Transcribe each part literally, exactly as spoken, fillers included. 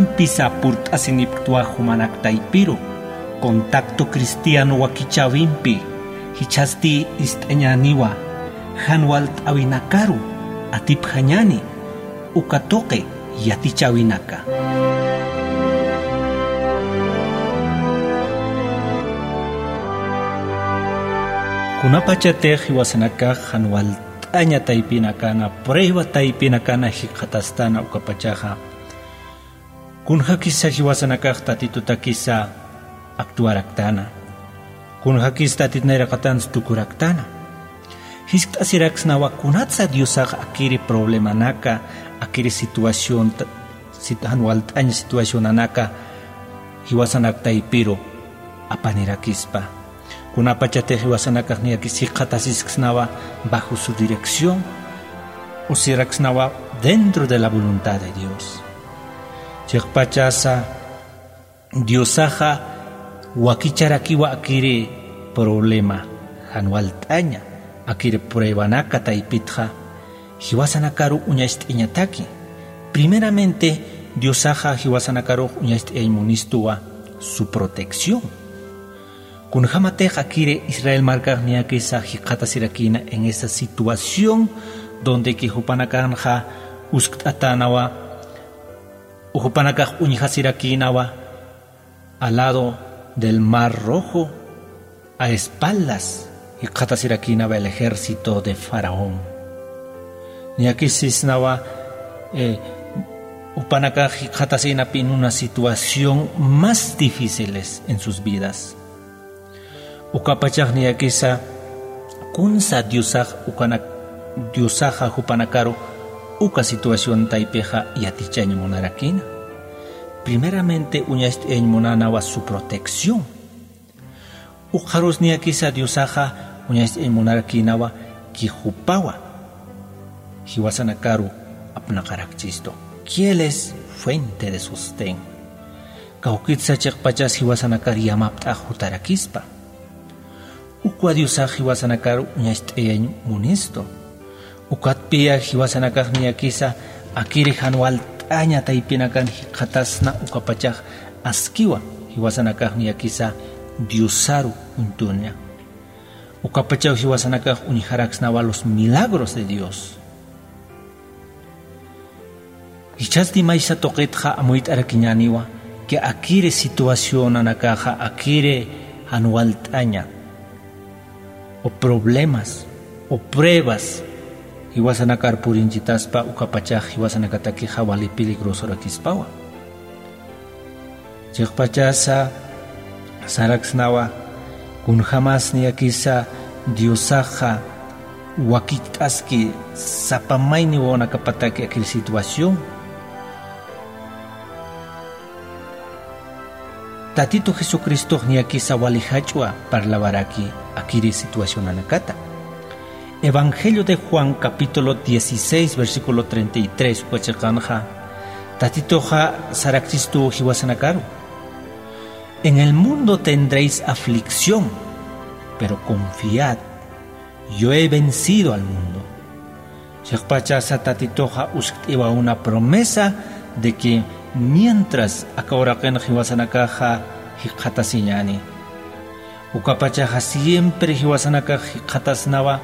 Pisa purt'asinipktwa jumanak taypiru, contacto cristiano wakichäwimpi, jichhasti ist'añäniwa, jan walt'äwinakaru atipjañäni, uka tuqi yatichäwinaka. Kunapachatix jiwasanakax jan walt'aña taypinakana, prueba taypinakana jikxatastan ukapachaxa, kunjakisa jiwasanakax Tatitutakisa actuaraktana. Kunjakis Tatit nayraqatansa tukuraktana. Jiskt'asiraksnawa kunatsa Diosax akiri problemanaka, akiri situación, sit-, jan walt'añ situacionanaka jiwasanak taypiru apanirakispa. Kunapachatix jiwasanakax niyakis jikxatasisksnawa bajo su dirección, o siraksnawa dentro de la voluntad de Dios. Chiqpachasa Diosaxa wakicharakiwa akiri problema, jan walt'aña, akiri pruebanaka taypitxa, jiwasanakaru uñacht'ayañataki. Primeramente, Diosaxa jiwasanakarux uñacht'ayañ munistuwa su protección. Kunjamatix akiri Israel markax niyakisa jikxatasirakïna en esa situación donde que jupanakanxa uskt'atänawa, jupanakax uñjasirakïnawa al lado del Mar Rojo, a espaldas, jikxatasirakïnawa el ejército de Faraón. Niyakis sisnawa, eh, jupanakax jikxatasïnapï en una situación más difíciles en sus vidas. Ukapachax niyakisa kunsa Diosax ukanak-, Diosaxa jupanakaru uka situación taypixa yatichañ munarakïna. Primeramente uñacht'ayañ munänawa su protección. Ukxarus niyakisa Diosaxa uñacht'ayañ munarakïnawa que jupawa jiwasanakaru apnaqarakchistu. Que Él es fuente de sostén. Kawkitsa chiqpachas jiwasanakar yamapt'ax jutarakispa. Ukwa Diosax jiwasanakar uñacht'ayañ munistu. Ukatpiya jiwasanakax niyakisa akiri jan walt'aña taypinakan jikxatasna ukapachax askiwa jiwasanakax niyakisa Diosaru uñtuña. Ukapachaw jiwasanakax uñjaraksnawa los milagros de Dios. Jichhasti maysa tuqitxa amuyt'arakiñäniwa que akiri situacionanakaxa, akiri jan walt'aña, o problemas, o pruebas, jiwasanakar purinchitaspa ukapachax jiwasanakatakixa wali peligrosorakispawa. Chiqpachasa saraksnawa, kunjamas niyakisa Diosaxa wakicht'aski sapa mayni wawanakapataki akiri situación. Tatito Jesucristox niyakisa wali jach'wa parlawaraki akiri situacionanakata. Evangelio de Juan, capítulo dieciséis, versículo treinta y tres, uka chiqanxa, Tatituxa sarakchistu jiwasanakaru: "En el mundo tendréis aflicción, pero confiad, yo he vencido al mundo". Chiqpachasa Tatituxa uskt'iwa una promesa de que mientras aka uraqin jiwasanakaxa jikxatasiñäni, ukapachaxa siempre jiwasanakax jikxatasnawa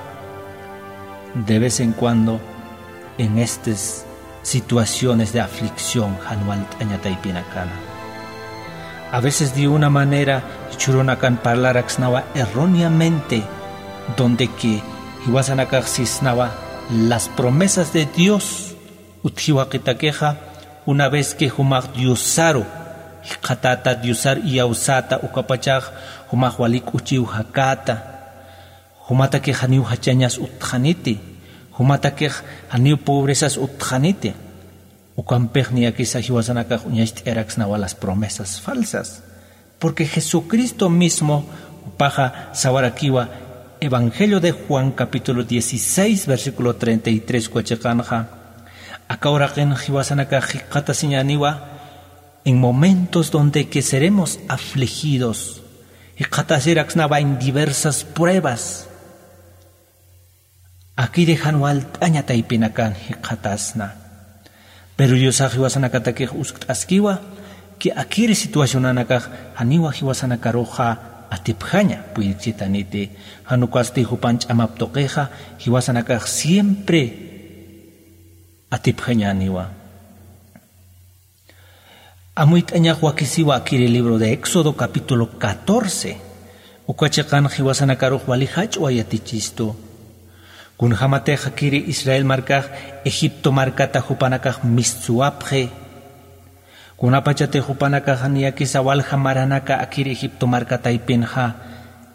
de vez en cuando en estas situaciones de aflicción, jan walt'aña taypinakana. A veces de una manera jichhürunakan parlaraksnawa erróneamente, donde que jiwasanakax sisnawa las promesas de Dios utjiwaqitakixa, una vez que jumax Diosaru jikxatäta, Diosar iyawsäta, ukapachax jumax wali k'uchiw jakäta, jumatakix janiw jachañas utjxaniti, jumatakix janiw pobrezas utjxaniti. Ukampix niyakisa jiwasanakax uñacht'ayaraksnawa las promesas falsas. Porque Jesucristo mismo jupaxa sawarakiwa, Evangelio de Juan, capítulo dieciséis, versículo treinta y tres, uka chiqanxa, aka uraqin jiwasanakax jikxatasiñäniwa en momentos donde que seremos afligidos, jikxatasiraksnawa en diversas pruebas. Akiri jan walt'aña taypinakan jikxatasna. Pero diosax jiwasanakatakix uskt'askiwa ki akiri situacionanakax janiwa jiwasanakaruxa atipjaña puyirchitaniti. Janukasti jupan ch'amap tuqixa jiwasanakax siempre atipjañaniwa. Amuyt'añax wakisiwa akiri libro de éxodo capítulo catorce. Uka chiqan jiwasanakarux wali jach'wa yatichistu. Kunjämatix akiri israel markax egipto markata jupanakax mistsuwapxi. Kunapachatix jupanakax niyakisa walja maranaka akiri egipto marka taypinxa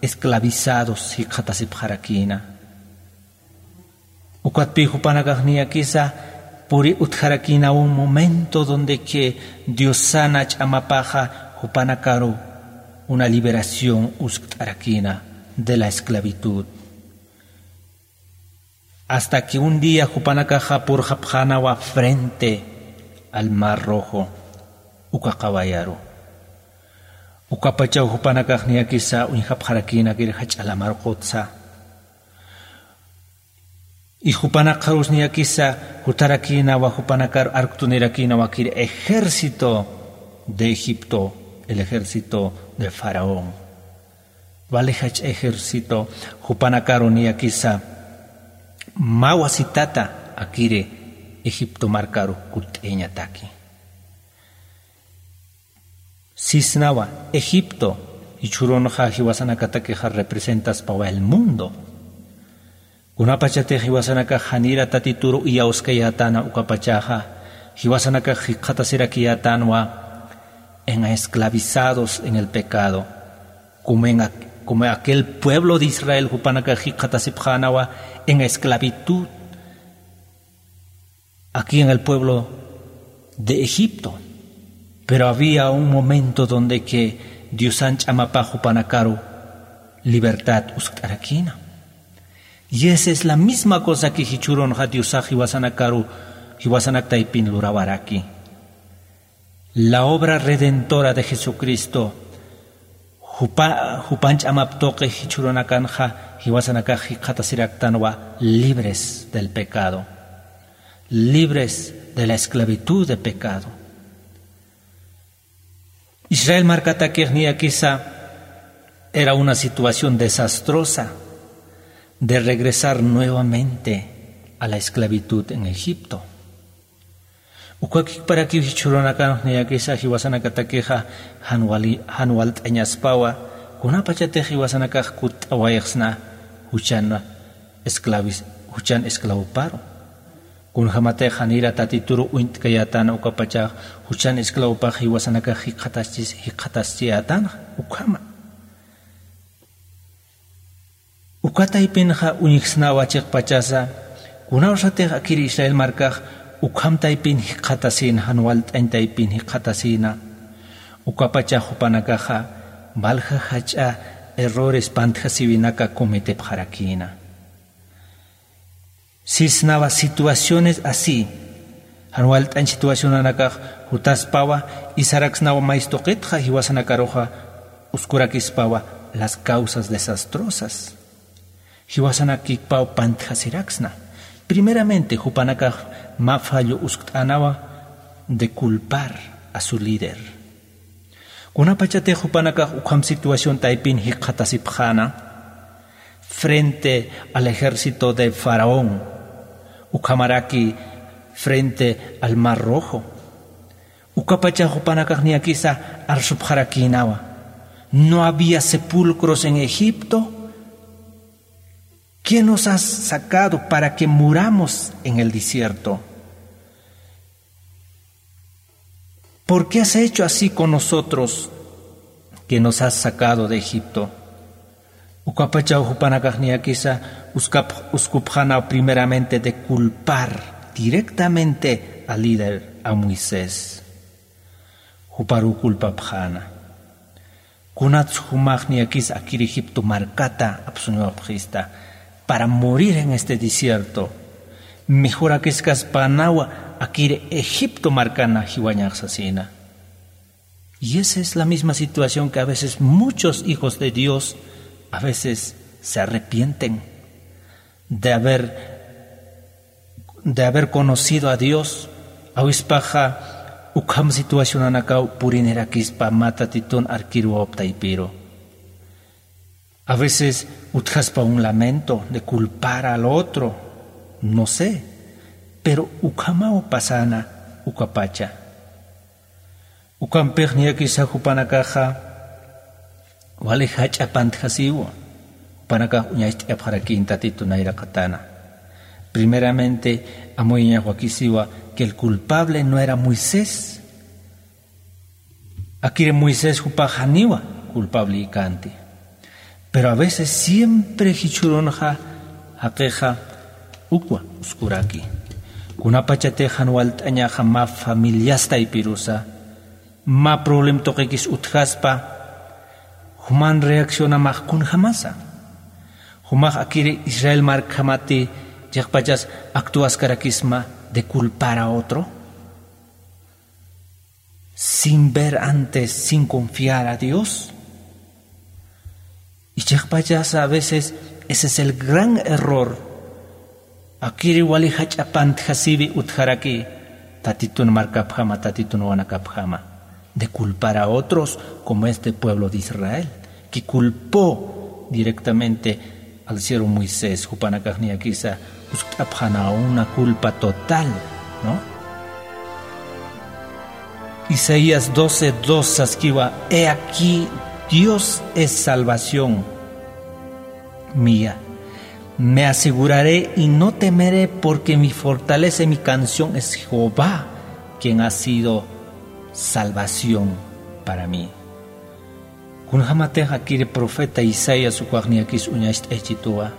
esclavizados jikxatasipxarakïna. Ukatpï jupanakax niyakisa puri utjarakïna un momento donde que diosana ch'amapaxa jupanakaru una liberación uskt'arakïna de la esclavitud. Hasta que un día jupanakaxa purxapxänawa frente al mar rojo uka qawayaru. Ukapachaw jupanakax niyakisa uñjapxarakïnakir jach'a lamar qutsa. Y jupanakxarus niyakisa jutarakïnawa jupanakar arktunirakïnawakir ejército de egipto, el ejército de faraón. Wali jach'a ejército jupanakaru niyakisa mä wasitata akiri egipto markaru kutt'ayañataki. Sisnawa egipto jichhürunxa jiwasanakatakixa representaspawa el mundo. Kunapachatix jiwasanakax janira tatituru iyawskayätäna ukapachaxa jiwasanakax jikxatasirakiyätänwa en esclavizados en el pecado. Como aquel pueblo de israel jupanakax jikxatasipxänawa en esclavitud aquí en el pueblo de egipto. Pero había un momento donde que diosan ch'amapax jupanakaru libertad uskt'arakïna. Y esa es la misma cosa que jichhürunxa diosax jiwasanakaru jiwasanak taypin lurawaraki. La obra redentora de jesucristo jupan ch'amap tuqi jichhürunakanxa jiwasanakax jikxatasiraktanwa libres del pecado, libres de la esclavitud de pecado. Israel markatakix niyakisa era una situación desastrosa de regresar nuevamente a la esclavitud en egipto. Ukakikparakiw jichhürunakanx niyakisa jiwasanakatakixa jan walt'añaspawa kunapachatix jiwasanakax kutt'awayxsna juchan esclavis juchan esclavoparu. Kunjämatix janira tatituru uñt'kayätana ukapachax juchan esclavopax jiwasanakax jikxataschiyätanxa ukhama. Uka taypinxa uñjsnawa chiqpachasa kunawsatix akir israel markax ukham taypin jikxatasïna jan walt'añ taypin jikxatasïna. Ukapachax jupanakaxa walja jach'a errores pantjasiwinaka cometepxarakïna. Sisnawa situaciones así jan walt'añ situacionanakax jutaspawa isaraksnawa maystuqitxa jiwasanakaruxa uskurakispawa las causas desastrosas. Jiwasanakikpaw pantjasiraksna primeramente jupanakax mä fallo uskt'änawa de culpar a su líder. Kunapachatix jupanakax ukham situación taypin jikxatasipxäna frente al ejército de faraón ukhamaraki frente al mar rojo. Ukapachax jupanakax niyakisa arsupxarakïnawa no había sepulcros en egipto? ¿Qué nos has sacado para que muramos en el desierto? ¿Por qué has hecho así con nosotros que nos has sacado de egipto? Ukapachaw jupanakax niyakisa uskupxänaw primeramente de culpar directamente al líder a moisés. Juparuw culpapxäna. Kunats jumax niyakis akir egipto markata apsuñwapxista para morir en este desierto? Mejorakiskas panawa akir egipto markana jiwañax sasina. Y esa es la misma situación que a veces muchos hijos de dios a veces se arrepienten de haber de haber conocido a dios Awispaxa ukham situacionanakaw purinirakispa mä Tatitun arkiruwaptaypiru. A veces utjaspa un lamento de culpar al otro, no sé, pero ukhamaw pasana ukapacha. Ukampix niyakisa jupanakaxa wali jach'a pantjasiwa, jupanakax uñacht'apxarakïn Tatitun nayraqatana. Primeramente, amuyañax wakisiwa que el culpable no era Moisés. Akiri Moisés jupax janiwa culpable känti. Pero a veces siempre jichhürunxa jaqixa ukwa uskuraki. Kunapachatix jan walt'añaxa mä familias taypirusa, mä problem tuqikis utjaspa, juman reaccionamax kunjamasa. Jumax akiri Israel markjamati chiqpachas actuaskarakisma de culpar a otro, sin ver antes, sin confiar a Dios. Y chiqpachas a veces ese es el gran error. Akiri wali jach'a pantjasiwi utjaraki Tatitun markapjama, Tatitun wawanakapjama, de culpar a otros como este pueblo de Israel, que culpó directamente al siervo Moisés, jupanakax niyakisa uskt'apxäna una culpa total, ¿no? Isaías doce dos saskiwa: "He aquí, Dios es salvación mía. Me aseguraré y no temeré, porque mi fortaleza y mi canción es Jehová, quien ha sido salvación para mí". Kunjamatix akiri profeta Isaías ukax niyakis uñacht'aychituwa.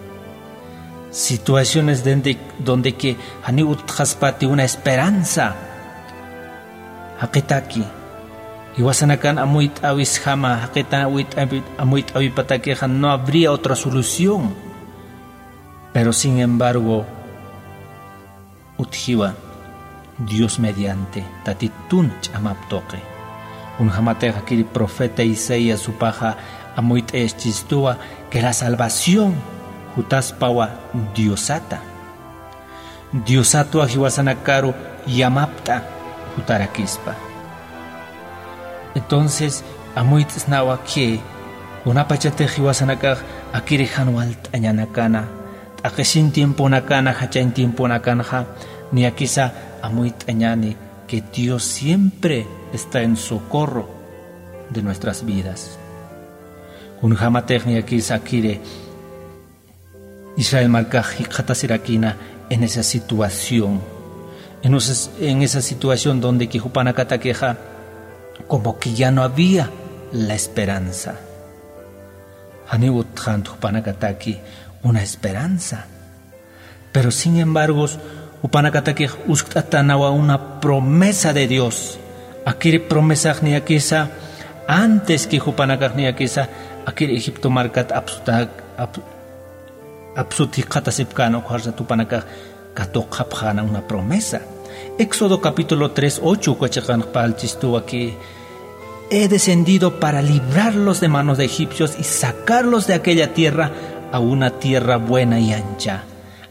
Situaciones donde, donde que janiw utjaspati una esperanza. Jaqitaki. Jiwasanakan amuyt'äwisjama, jaqitan amuyt'äwi-, amuyt'äwipatakixa no habría otra solución. Pero sin embargo, utjiwa Dios mediante, Tatitun ch'amap tuqi. Kunjamatix akiri profeta Isaías jupaxa amuyt'aychistuwa que la salvación jutaspawa Diosata. Diosatwa jiwasanakaru yamapt'a jutarakispa. Entonces, amuyt'snawa que kunapachatix jiwasanakax akiri jan walt'añanakana, t'aqhisin tiemponakana, jachañ tiemponakanxa, niyakisa amuyt'añani que Dios siempre está en socorro de nuestras vidas. Kunjamatix niyakisa akiri Israel markax jikxatasirakïna en esa situación, en esa, en esa situación donde que jupanakatakixa como que ya no había la esperanza. Janiw utjant jupanakataki una esperanza. Pero sin embargo, jupanakatakix uskt'atänawa una promesa de Dios. Akiri promesax niyakisa antes que jupanakax niyakisa akiri Egipto markat apsuta-, ap-, apsut jikxatasipkän ukharsat jupanakax katuqapxäna una promesa. Éxodo capítulo tres ocho uka chiqanx parlchistuwa que: "He descendido para librarlos de manos de egipcios y sacarlos de aquella tierra a una tierra buena y ancha,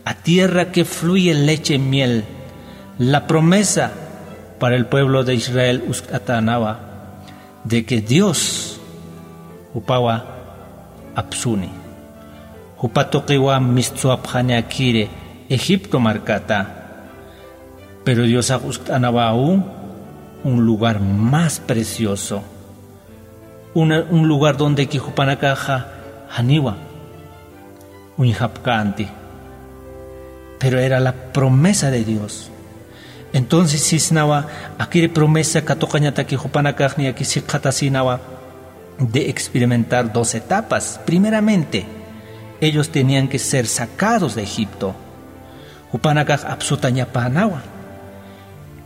a tierra que fluye leche y miel". La promesa para el pueblo de Israel uskt'atänawa de que Dios jupawa apsuni. Jupa tuqiwa mistsuwapxani akiri Egipto markata. Pero Diosax uskt'anawa aún un lugar más precioso. Una, un lugar donde que jupanakaxa janiwa uñjapkänti. Pero era la promesa de Dios. Entonces sisnawa, akiri promesa katuqañataki jupanakax niyakis jikxatasïnawa de experimentar dos etapas. Primeramente, ellos tenían que ser sacados de Egipto. Jupanakax apsutañapänawa.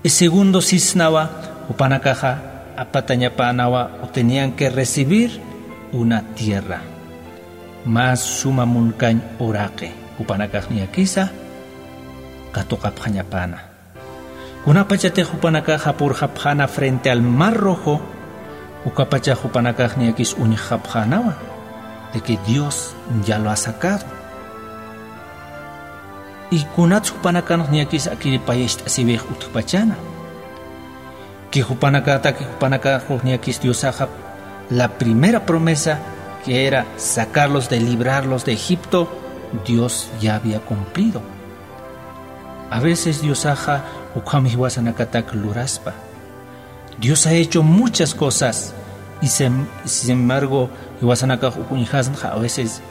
Y segundo sisnawa, jupanakaxa apatañapänawa o tenían que recibir una tierra. Mä suma munkañ uraqi, jupanakax niyakisa katuqapxañapäna. Kunapachatix jupanakaxa purxapxäna frente al Mar Rojo, ukapachax jupanakax niyakis uñjxapxänawa, de que Dios ya lo ha sacado. Y kunats jupanakanx niyakis akiri payacht'asiwix utjpachäna. Chijupanakataki jupanakaxux niyakis Diosaxa, la primera promesa, que era sacarlos de, librarlos de Egipto, Dios ya había cumplido. A veces Diosaxa ukham jiwasanakatak luraspa. Dios ha hecho muchas cosas, y sem- sin embargo jiwasanakax uñjasnxa a veces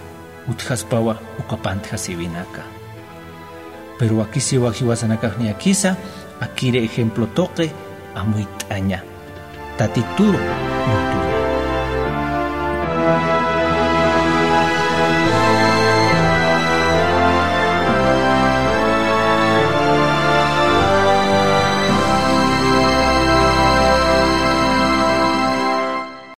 utjaspawa uka pantjasiwinaka. Pero wakisiwa jiwasanakax niyakisa, akiri ejemplo tuqi amuyt'aña. Tatituru uñt'aña.